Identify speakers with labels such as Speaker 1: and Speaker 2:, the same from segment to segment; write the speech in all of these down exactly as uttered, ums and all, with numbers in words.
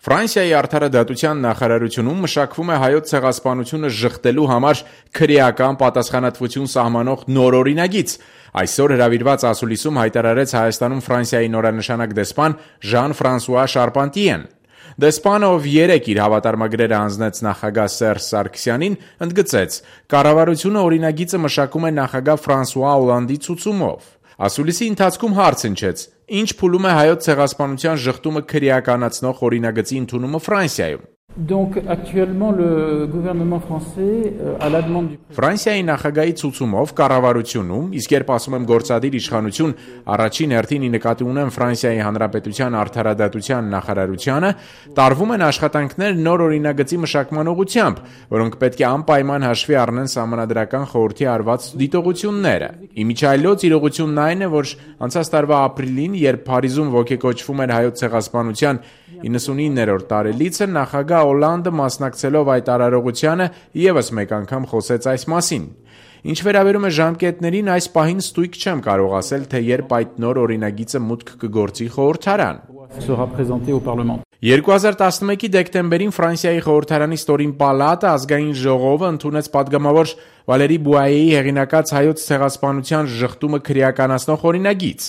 Speaker 1: Ֆրանսիայի արդարադատության նախարարությունում մշակվում է հայոց ցեղասպանությունը ժխտելու համար քրեական պատասխանատվություն սահմանող նոր օրինագիծ։ Այսօր հրավիրված ասուլիսում հայտարարեց Հայաստանում Ֆրանսիայի նորանշանակ դեսպան Ժան-Ֆրանսուଆ Շարպանտիեն։ Դեսպանը, ով երեկ իր հավատարմագրերը հանձնեց նախագահ Սերժ Սարգսյանին, ընդգծեց. «Կառավարությունը օրինագիծը մշակում է նախագահ Ֆրանսուଆ Օլանդի ցուցումով»։ Ասուլիսի ընթացքում հարց հնչեց. ինչ փուլում է հայոց ցեղասպանության ժխտումը քրեականացնող օրինագծի ընդունումը Ֆրանսիայում։
Speaker 2: Donc actuellement le gouvernement français à la demande du
Speaker 1: Ֆրանսիայի նախագահի ցուցումով կառավարությունում, իսկ երբ ասում եմ գործադիր իշխանություն, առաջին հերթին ի նկատի ունեմ Ֆրանսիայի Հանրապետության արդարադատության նախարարությանը, տարվում են աշխատանքներ նոր օրինագծի մշակման ուղղությամբ, որոնք պետք է անպայման հաշվի առնեն Սահմանադրական խորհրդի արված դիտողությունները։ Իմիջիայլոց իրողությունն այն է, որ անցած տարվա ապրիլին, երբ Փարիզում ոգեկոչվում էր հայոց ցեղասպանության իննսունիններորդ տարելիցը, նախագահ Օլանդը մասնակցելով այդ արարողությանը ևս մեկ անգամ խոսեց այս մասին։ Ինչ վերաբերում է ժամկետներին, այս պահին ստույգ չեմ կարող ասել, թե երբ այդ նոր օրինագիծը մուտք կգործի խորհրդարան։
Speaker 2: sera présenté au Parlement.
Speaker 1: երկու հազար տասնմեկի դեկտեմբերին Ֆրանսիայի խորհրդարանի ստորին պալատը ազգային ժողովը ընդունեց падգամավոր Վալերի Բուայեի հեղինակած հայոց ցեղասպանության ժխտումը քրեականացնող օրինագիծ։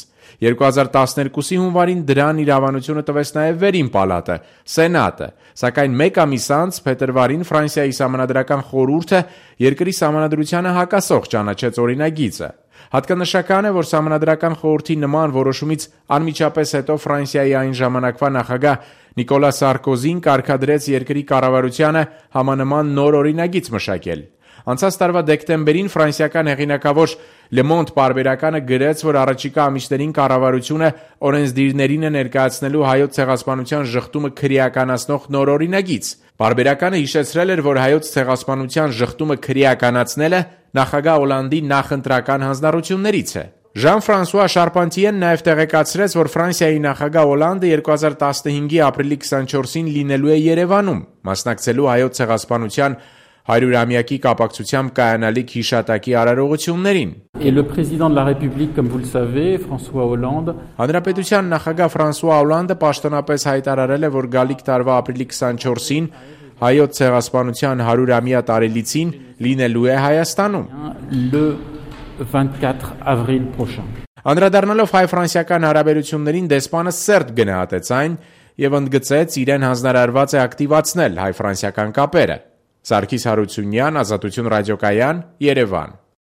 Speaker 1: երկու հազար տասներկուսի հունվարին դրան իրավանությունը տվեց նաև վերին պալատը, Սենատը, սակայն մեկ ամիս անց փետրվարին Ֆրանսիայի Սահմանադրական խորհուրդը երկրի սահմանադրությանը հակասող ճանաչեց օրինագիծը։ Հատկանշական է, որ Սահմանադրական խորհրդի նման որոշումից անմիջապես հետո Ֆրանսիայի այն ժամանակվա նախագահ Նիկոլա Սարկոզին կարգադրեց երկրի կառավարությանը համանման նոր օրինագիծ մշակել։ Անցած տարվա դեկտեմբերին ֆրանսիական հեղինակավոր Le Monde պարբերականը գրեց, որ առաջիկա ամիսներին կառավարությունը օրենսդիրներին է ներկայացնելու հայոց ցեղասպանության ժխտումը քրեականացնող նոր օրինագիծ։ Պարբերականը հիշեցրել էր, որ հայոց ցեղասպանության ժխտումը քրեականացնելը նախագահ Օլանդի նախընտրական հանձնառություններից է։ Ժան-Ֆրանսուଆ Շարպանտիեն նաև տեղեկացրեց, որ Ֆրանսիայի նախագահ Օլանդը երկու հազար տասնհինգի ապրիլի քսանչորսին լինելու է Երևանում, մասնակցելու հայոց ցեղասպանության հարյուրամյակի կապակցությամբ կայանալիք հիշատակի արարողություններին։
Speaker 2: Et le président de la République, comme vous le savez, François Hollande,
Speaker 1: Հանրապետության նախագահ Ֆրանսուଆ Օլանդը պաշտոնապես հայտարարել է, որ գալիք տարվա ապրիլի քսանչորսին հայոց ցեղասպանության հարյուրամյա տարելիցին լինելու է Հայաստանում։
Speaker 2: le vingt-quatre avril prochain.
Speaker 1: Անդրադառնալով հայ-ֆրանսիական հարաբերություններին, դեսպանը սերտ գնահատեց այն եւ ընդգծեց իրեն հանձնարարված է ակտիվացնել հայ-ֆրանսիական կապերը։ Սարգիս Հարությունյան, Ազատություն ռադիոկայան, Երևան։